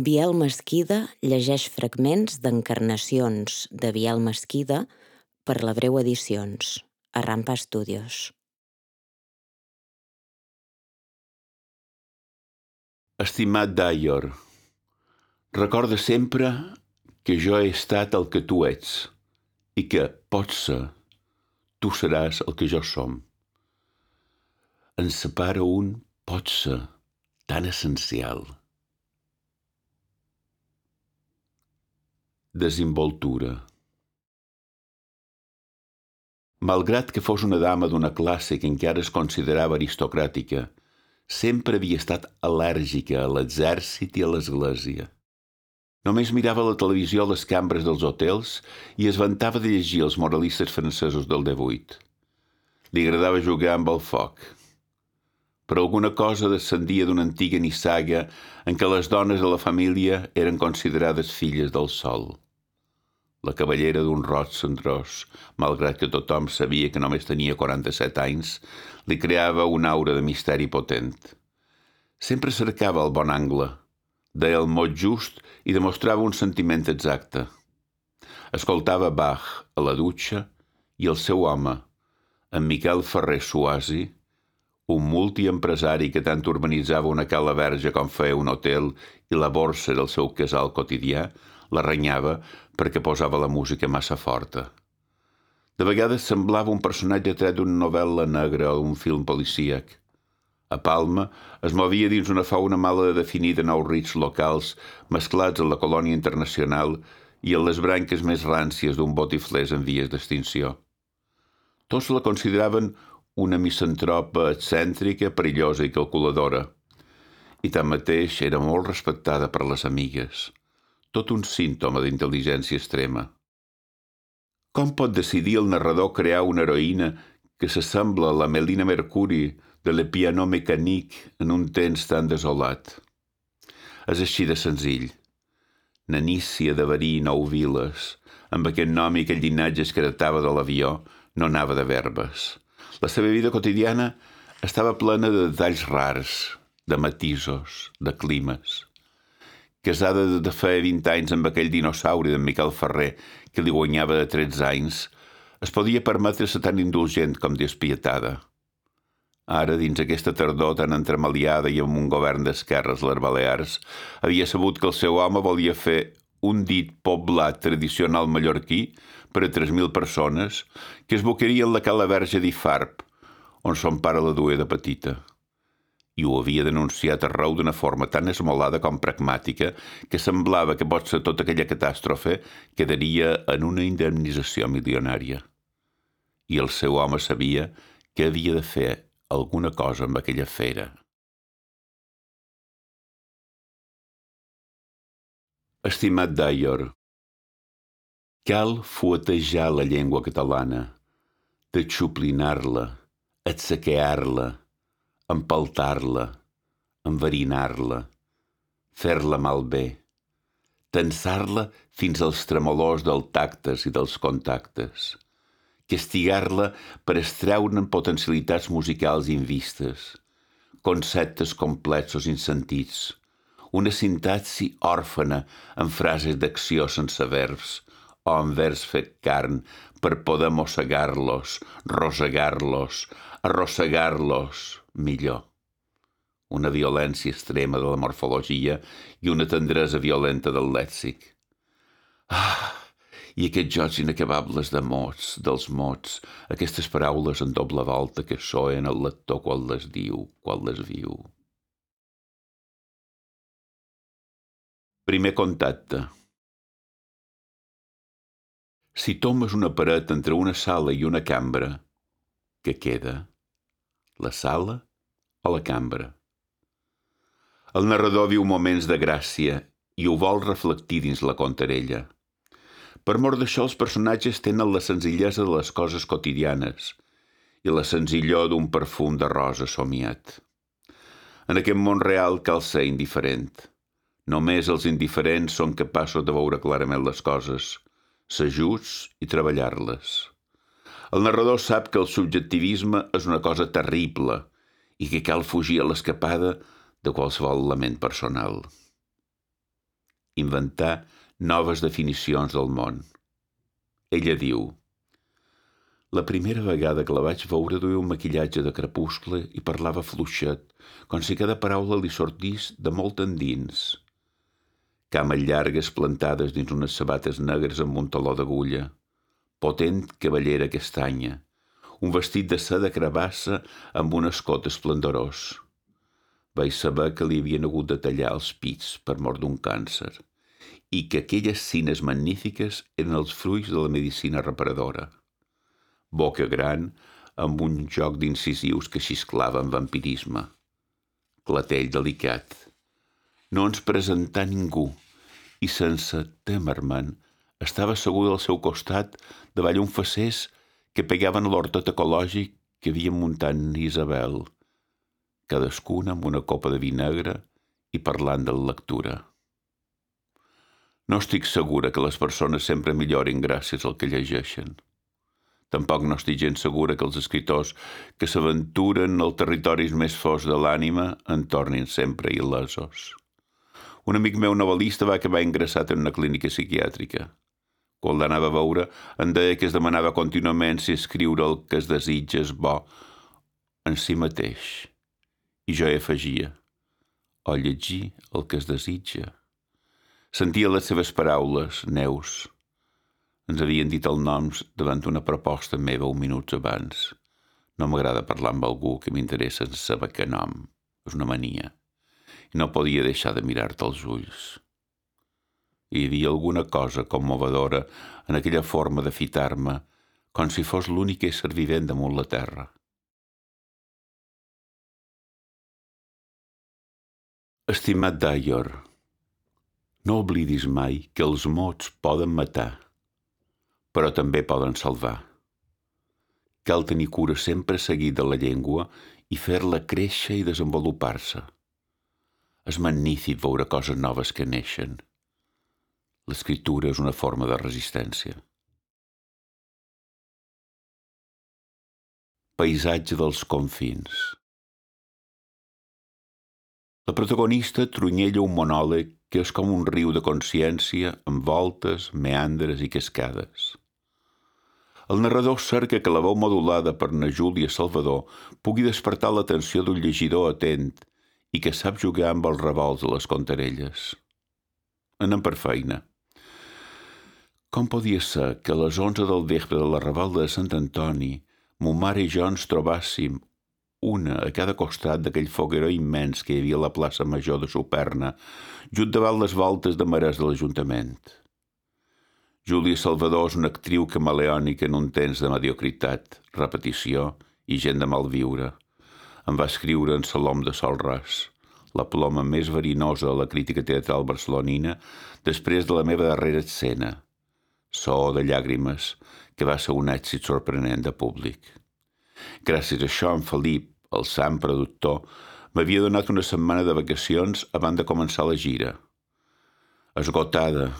Biel Mesquida llegeix fragments d'encarnacions de Biel Mesquida per la Breu Edicions, a Rampa Studios. Estimat Daior, recorda sempre que jo he estat el que tu ets i que, potser, tu seràs el que jo som. Ens separa un potser tan essencial. Desimboltura. Malgrat que fos una dama d'una classe que encara es considerava aristocràtica, sempre havia estat al·lèrgica a l'exèrcit i a l'església. Només mirava la televisió a les cambres dels hotels i es vantava de llegir els moralistes francesos del 18. Li agradava jugar amb el foc. Per alguna cosa descendia d'una antiga nissaga en què les dones de la família eren considerades filles del sol. La cavallera d'un roig cendrós, malgrat que tothom sabia que només tenia 47 anys, li creava una aura de misteri potent. Sempre cercava el bon angle, deia el mot just i demostrava un sentiment exacte. Escoltava Bach a la dutxa i el seu home, en Miquel Ferrer Suasi, un multiempresari que tant urbanitzava una cala verge com feia un hotel i la borsa del seu casal quotidià, la renyava perquè posava la música massa forta. De vegades semblava un personatge tret d'una novel·la negra o un film policíac. A Palma es movia dins una fauna mala definida nous rits locals mesclats en la colònia internacional i en les branques més ràncies d'un botiflers en vies d'extinció. Tots la consideraven una misantropa excèntrica, perillosa i calculadora. I tanmateix era molt respectada per les amigues. Tot un símptoma d'intel·ligència extrema. Com pot decidir el narrador crear una heroïna que s'assembla a la Melina Mercuri de Le Piano Mécanique en un temps tan desolat? És així de senzill. Nanícia de Verí i Nou Viles, amb aquest nom i aquell llinatge que heretava de l'avió, no anava de verbes. La seva vida quotidiana estava plena de detalls rars, de matisos, de climes. Casada de feia 20 anys amb aquell dinosaure d'en Miquel Ferrer, que li guanyava de 13 anys, es podia permetre ser tan indulgent com despietada. Ara, dins aquesta tardor tan entremaliada i amb un govern d'esquerres a les Balears, havia sabut que el seu home volia fer un dit poblat tradicional mallorquí per a 3.000 persones que es boquerien la cala verge d'Ifarb, on son pare la duia de petita. I ho havia denunciat arreu d'una forma tan esmolada com pragmàtica que semblava que potser tota aquella catàstrofe quedaria en una indemnització milionària. I el seu home sabia que havia de fer alguna cosa amb aquella fera. Estimat Daior, cal fuetejar la llengua catalana, deixuplinar-la, atsaquear-la, empaltar-la, enverinar-la, fer-la malbé, tensar-la fins als tremolors dels tactes i dels contactes, castigar-la per extreure'n potencialitats musicals invistes, conceptes complexos insentits, una sintaxi òrfana en frases d'acció sense verbs o en vers fet carn per poder mossegar-los, rosegar-los, arrossegar-los millor. Una violència extrema de la morfologia i una tendresa violenta del lèxic. I aquests jocs inacabables de mots, dels mots, aquestes paraules en doble volta que soen el lector quan les diu, quan les viu. Primer contacte. Si tomes una paret entre una sala i una cambra, què queda? La sala o la cambra? El narrador viu moments de gràcia i ho vol reflectir dins la contarella. Per mor d'això, els personatges tenen la senzillesa de les coses quotidianes i la senzillor d'un perfum de rosa somiat. En aquest món real cal ser indiferent. Només els indiferents són capaços de veure clarament les coses, ser justs i treballar-les. El narrador sap que el subjectivisme és una cosa terrible i que cal fugir a l'escapada de qualsevol lament personal. inventar noves definicions del món. Ella diu: la primera vegada que la vaig veure duia un maquillatge de crepuscle i parlava fluixet, com si cada paraula li sortís de molt endins. Cames llargues plantades dins unes sabates negres amb un taló d'agulla, potent cavallera castanya, un vestit de seda cravassa amb un escot esplendorós. Vaig saber que li havien hagut de tallar els pits per mort d'un càncer i que aquelles cines magnífiques eren els fruits de la medicina reparadora. Boca gran, amb un joc d'incisius que xisclava amb vampirisme. Clatell delicat. No ens presentà ningú i, sense temer-me'n, estava asseguda al seu costat davall un facers que pegaven a l'hortet ecològic que havia muntat Isabel, cadascuna amb una copa de vi negre i parlant de la lectura. No estic segura que les persones sempre millorin gràcies al que llegeixen. Tampoc no estic gens segura que els escriptors que s'aventuren als territoris més forts de l'ànima en tornin sempre il·lesos. Un amic meu novel·lista va acabar ingressat en una clínica psiquiàtrica. Quan l'anava a veure, em deia que es demanava contínuament si escriure el que es desitja és bo en si mateix. I jo hi afegia: o llegir el que es desitja. Sentia les seves paraules, Neus. Ens havien dit el noms davant d'una proposta meva 1 minut abans. No m'agrada parlar amb algú que m'interessa en saber què nom. És una mania. I no podia deixar de mirar-te als ulls. Hi havia alguna cosa commovedora en aquella forma de fitar-me, com si fos l'únic ésser vivent damunt la terra. Estimat Dyer, no oblidis mai que els mots poden matar, però també poden salvar. Cal tenir cura sempre seguir de la llengua i fer-la créixer i desenvolupar-se. És magnífic veure coses noves que neixen. L'escriptura és una forma de resistència. Paisatge dels confins. La protagonista trunyella un monòleg que és com un riu de consciència amb voltes, meandres i cascades. El narrador cerca que la veu modulada per na Júlia Salvador pugui despertar l'atenció d'un llegidor atent i que sap jugar amb els revolts de les contarelles. Anem per feina. Com podia ser que a les 11 del vespre de la Revolta de Sant Antoni mo mare i jo ens trobàssim una a cada costat d'aquell fogueró immens que hi havia a la plaça Major de Superna, just davant les voltes de marès de l'Ajuntament? Júlia Salvador és una actriu camaleònica en un temps de mediocritat, repetició i gent de malviure. Em va escriure en Salom de Sol Ras, la ploma més verinosa a la crítica teatral barcelonina després de la meva darrera escena, So de llàgrimes, que va ser un èxit sorprenent de públic. Gràcies a això, en Felip, el sant productor, m'havia donat una setmana de vacacions abans de començar la gira. Esgotada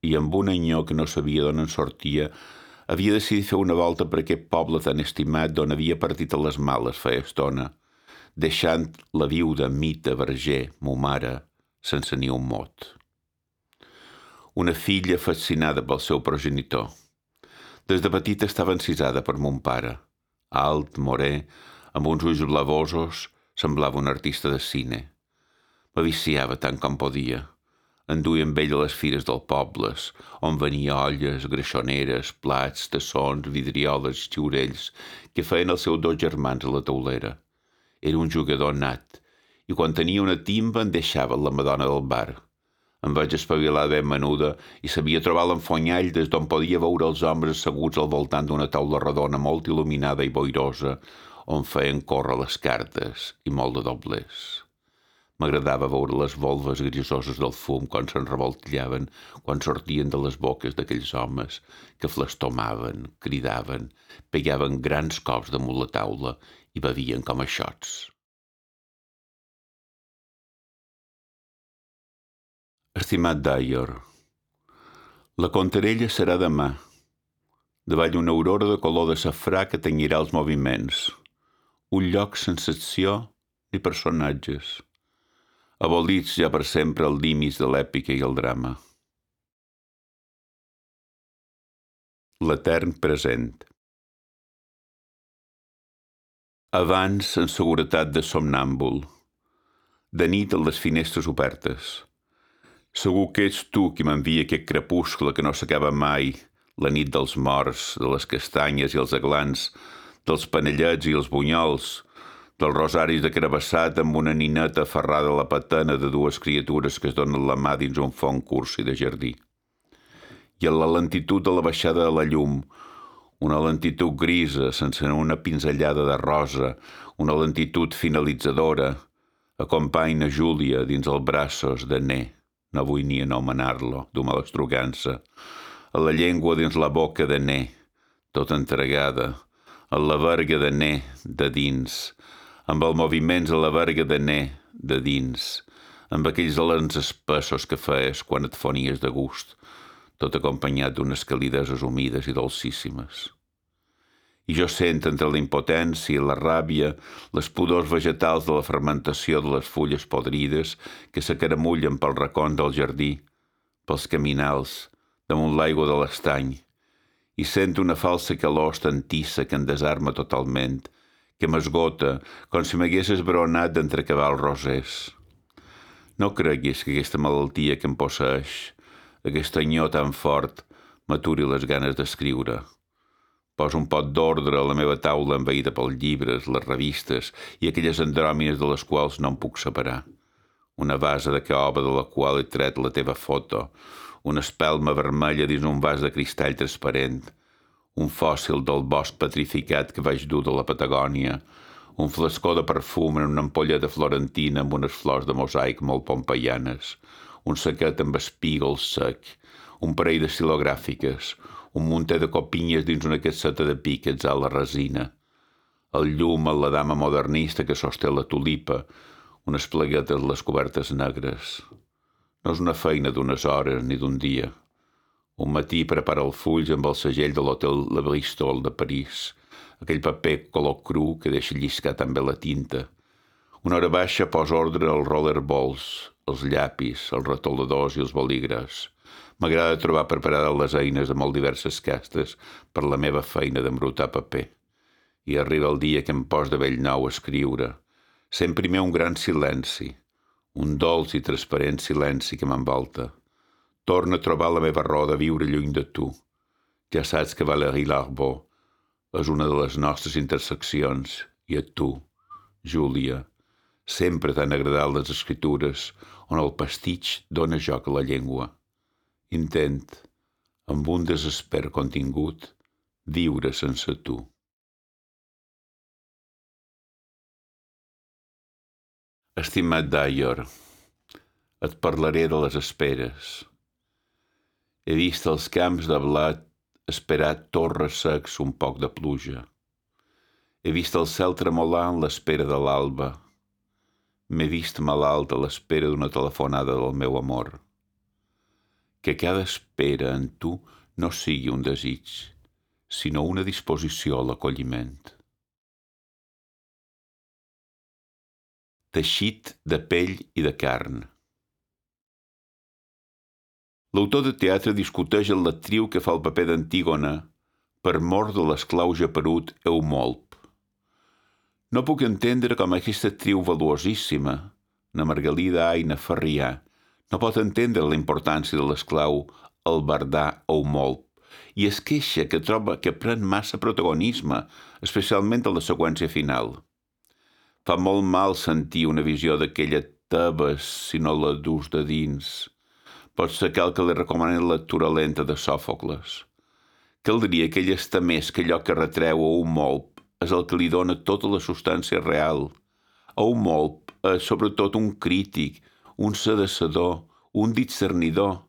i amb un anyó que no sabia d'on en sortia, havia decidit fer una volta per aquest poble tan estimat d'on havia partit a les males feia estona, deixant la viuda Mita Verger, mo mare, sense ni un mot. Una filla fascinada pel seu progenitor. Des de petita estava encisada per mon pare. Alt, morè, amb uns ulls blavosos, semblava un artista de cine. M'aviciava tant com podia. Enduia amb ell a les fires del pobles, on venia olles, greixoneres, plats, tassons, vidrioles i xiurells que feien els seus 2 germans a la taulera. Era un jugador nat, i quan tenia una timba en deixava la madona del bar. Em vaig espavilar ben menuda i sabia trobar l'enfonyall des d'on podia veure els homes asseguts al voltant d'una taula redona molt il·luminada i boirosa, on feien córrer les cartes i molt de doblers. M'agradava veure les volves grisoses del fum quan se'n revoltillaven, quan sortien de les boques d'aquells homes que flestomaven, cridaven, pegaven grans cops damunt la taula i bevien com a xots. Estimat Dyer, la contarella serà demà, davall una aurora de color de safrà que tenyirà els moviments, un lloc sense acció ni personatges. abolits ja per sempre els límits de l'èpica i el drama. L'etern present. Abans, en seguretat de somnàmbul, de nit amb les finestres obertes. Segur que ets tu qui m'envia aquest crepuscle que no s'acaba mai, la nit dels morts, de les castanyes i els aglans, dels panellets i els bunyols, dels rosaris de carabassat amb una nineta aferrada a la patena de dues criatures que es donen la mà dins un font cursi de jardí. I en la lentitud de la baixada de la llum, una lentitud grisa sense una pinzellada de rosa, una lentitud finalitzadora, acompanya Júlia dins els braços de Né, no vull ni anomenar-lo, d'una malastrugança, a la llengua dins la boca de Né, tota entregada, a la verga de Né de dins, amb els moviments a la verga de Né de dins, amb aquells alens espessos que feies quan et fonies de gust, tot acompanyat d'unes calideses humides i dolcíssimes. I jo sent entre la impotència i la ràbia les pudors vegetals de la fermentació de les fulles podrides que s'acaramullen pel racons del jardí, pels caminals, damunt l'aigua de l'estany, i sento una falsa calor estantissa que em desarma totalment, que m'esgota com si m'hagués esbronat d'entrecavar els rosers. No creguis que aquesta malaltia que em posseeix, aquest anyó tan fort, m'aturi les ganes d'escriure. Poso un pot d'ordre a la meva taula envaïda pels llibres, les revistes i aquelles andròmines de les quals no em puc separar. Una vasa de caoba de la qual he tret la teva foto, una espelma vermella dins un vas de cristall transparent, un fòssil del bosc petrificat que vaig dur de la Patagònia, un flascó de perfum en una ampolla de florentina amb unes flors de mosaic molt pompeianes, un saquet amb espígols sec, un parell d'estilogràfiques, un munter de copinyes dins una casseta de píquets a la resina, el llum a la dama modernista que sosté la tulipa, unes pleguetes a les cobertes negres. No és una feina d'unes hores ni d'un dia. Un matí prepara el fulls amb el segell de l'hotel La Bristol de París, aquell paper color cru que deixa lliscar també la tinta. Una hora baixa posa ordre als rollerballs, els llapis, els retoladors i els bolígrafs. M'agrada trobar preparades les eines de molt diverses castes per la meva feina d'embrutar paper. I arriba el dia que em pos de bell nou a escriure. Sent primer un gran silenci, un dolç i transparent silenci que m'envolta. Torna a trobar la meva raó de viure lluny de tu. Ja saps que Valérie Larbaud és una de les nostres interseccions i a tu, Júlia, sempre t'han agradat les escritures on el pastitx dóna joc a la llengua. Intent, amb un desesper contingut, viure sense tu. Estimat Dyer, et parlaré de les esperes. He vist els camps de blat esperar torres secs un poc de pluja. He vist el cel tremolar en l'espera de l'alba. M'he vist malalt a l'espera d'una telefonada del meu amor. Que cada espera en tu no sigui un desig, sinó una disposició a l'acolliment. Teixit de pell i de carn. L'autor de teatre discuteix amb l'actriu que fa el paper d'Antígona per mor de l'esclau geperut Eumolp. No puc entendre com aquesta actriu valuosíssima, na Margalida Aina Farrià, no pot entendre la importància de l'esclau albardà Eumolp i es queixa que troba que pren massa protagonisme, especialment a la seqüència final. Fa molt mal sentir una visió d'aquella Tebes si no la dus de dins. Pot ser cal que li recomani la lectura lenta de Sòfocles. Caldria que ell està més que allò que retreu a Eumolp és el que li dona tota la substància real. Eumolp és sobretot un crític, un sedecedor, un discernidor.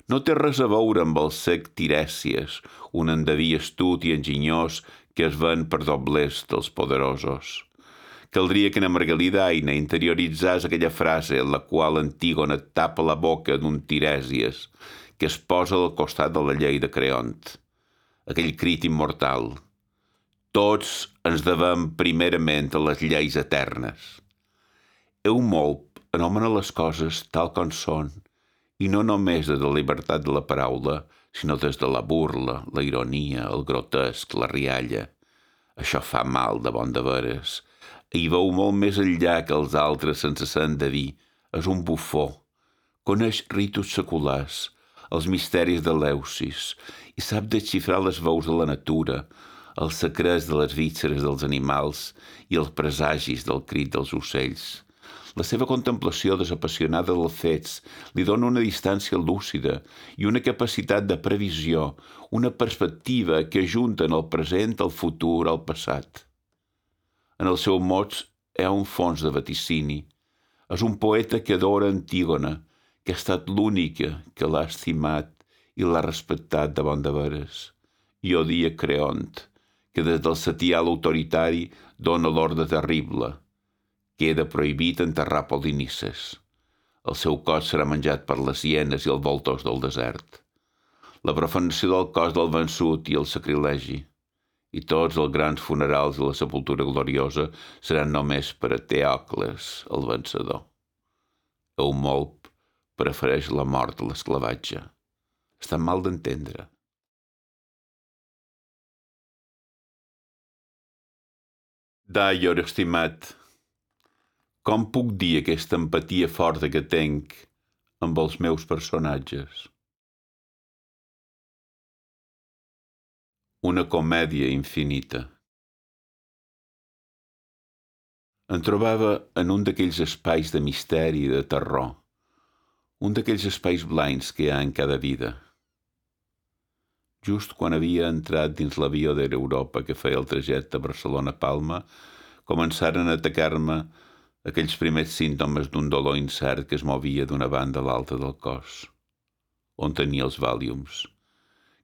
No té res a veure amb el sec Tirèsies, un endeví astut i enginyós que es ven per doblers dels poderosos. Caldria que na Margalida Aina interioritzés aquella frase en la qual Antígona tapa la boca d'un Tirèsies que es posa al costat de la llei de Creont. Aquell crit immortal. Tots ens devem primerament a les lleis eternes. Eumolp anomena les coses tal com són, i no només des de la llibertat de la paraula, sinó des de la burla, la ironia, el grotesc, la rialla. Això fa mal de bon de veres. Hi veu molt més enllà que els altres sense ser endeví. És un bufó. Coneix ritus seculars, els misteris de l'Eusis, i sap desxifrar les veus de la natura, els secrets de les vísceres dels animals i els presagis del crit dels ocells. La seva contemplació desapassionada dels fets li dona una distància lúcida i una capacitat de previsió, una perspectiva que ajunten el present, el futur, el passat. En els seus mots hi ha un fons de vaticini. És un poeta que adora Antígona, que ha estat l'única que l'ha estimat i l'ha respectat de bon de veres. I odia Creont, que des del setial autoritari dona l'ordre terrible. Queda prohibit enterrar Polinices. El seu cos serà menjat per les hienes i els voltors del desert. La profanació del cos del vençut i el sacrilegi. I tots els grans funerals i la sepultura gloriosa seran només per a Teòcles, el vencedor. Eumolp prefereix la mort a l'esclavatge. Està mal d'entendre. Daior, estimat, com puc dir aquesta empatia forta que tenc amb els meus personatges? Una comèdia infinita. Em trobava en un d'aquells espais de misteri i de terror, un d'aquells espais blancs que hi ha en cada vida. Just quan havia entrat dins l'avió d'Air Europa que feia el trajecte Barcelona-Palma, començaren a atacar-me aquells primers símptomes d'un dolor incert que es movia d'una banda a l'altra del cos. On tenia els Valiums?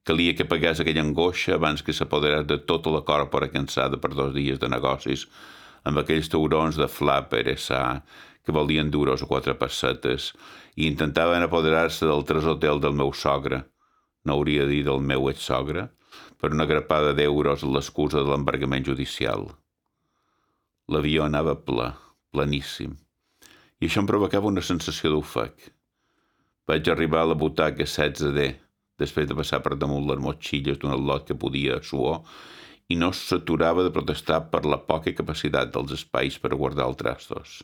Calia que pagués aquella angoixa abans que s'apoderés de tota la còrpora cansada per 2 dies de negocis amb aquells taurons de Flapper S.A. que volien duros a 4 pessetes i intentaven apoderar-se del treshotel del meu sogre, no hauria de dir del meu exsogre, per una grapada d'euros a l'excusa de l'embargament judicial. L'avió anava ple, planíssim, i això em provocava una sensació d'ofec. Vaig arribar a la butaca 16D, després de passar per damunt les motxilles d'un al·lot que podia suor, i no s'aturava de protestar per la poca capacitat dels espais per guardar els trastos.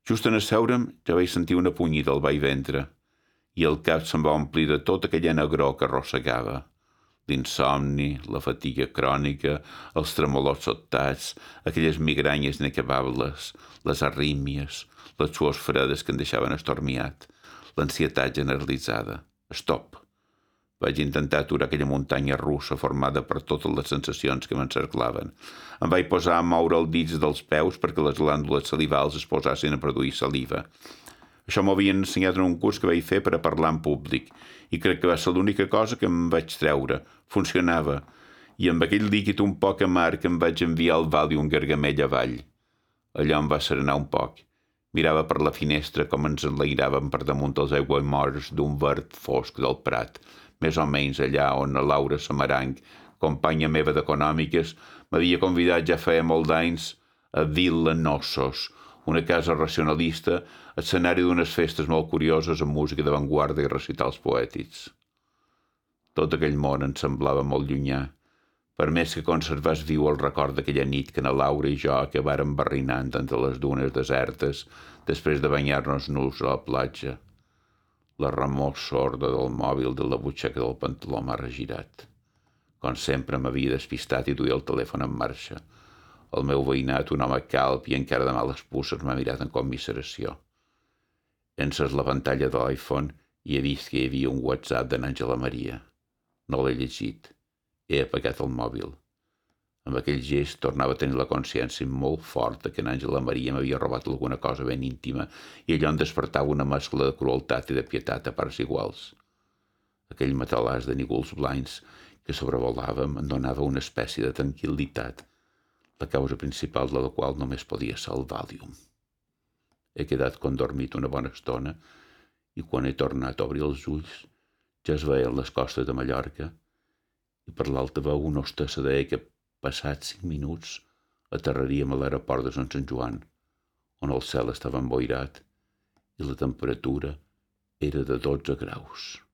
Just en asseure'm ja vaig sentir una punyida al ventre, i el cap se'm va omplir de tota aquella negror que arrossegava. L'insomni, la fatiga crònica, els tremolots sobtats, aquelles migranyes inacabables, les arrímies, les suors fredes que em deixaven estormiat, l'ansietat generalitzada. Stop! Vaig intentar aturar aquella muntanya russa formada per totes les sensacions que m'encerclaven. Em vaig posar a moure els dits dels peus perquè les glàndules salivals es posassin a produir saliva. Això m'ho havien ensenyat en un curs que vaig fer per a parlar en públic, i crec que va ser l'única cosa que em vaig treure. Funcionava, i amb aquell líquid un poc amarg em vaig enviar el Valium gargamell avall. Allò em va serenar un poc. Mirava per la finestra com ens enlairàvem per damunt els aiguamolls d'un verd fosc del Prat, més o menys allà on la Laura Samaranc, companya meva d'econòmiques, m'havia convidat ja feia molt d'anys a Villa Nossos, una casa racionalista, escenari d'unes festes molt curioses amb música d'avantguarda i recitals poètics. Tot aquell món em semblava molt llunyà, per més que conservés viu el record d'aquella nit que na Laura i jo acabàrem barrinant entre les dunes desertes després de banyar-nos nus a la platja. La remor sorda del mòbil de la butxaca del pantaló m'ha regirat. Com sempre m'havia despistat i duia el telèfon en marxa. El meu veïnat, un home calb i encara de males puces, m'ha mirat en commiseració. Encès la pantalla de l'iPhone i he vist que hi havia un WhatsApp de n'Àngela Maria. No l'he llegit. He apagat el mòbil. Amb aquell gest tornava a tenir la consciència molt forta que n'Àngela Maria m'havia robat alguna cosa ben íntima i allò em despertava una mescla de crueltat i de pietat a parts iguals. Aquell matalàs de nígols blancs que sobrevolàvem em donava una espècie de tranquil·litat, la causa principal de la qual només podia ser el Valium. He quedat condormit una bona estona i quan he tornat a obrir els ulls ja es veien les costes de Mallorca i per l'alta veu una hostessa deia que passats 5 minuts aterraríem a l'aeroport de Sant Joan, on el cel estava emboirat i la temperatura era de 12 graus.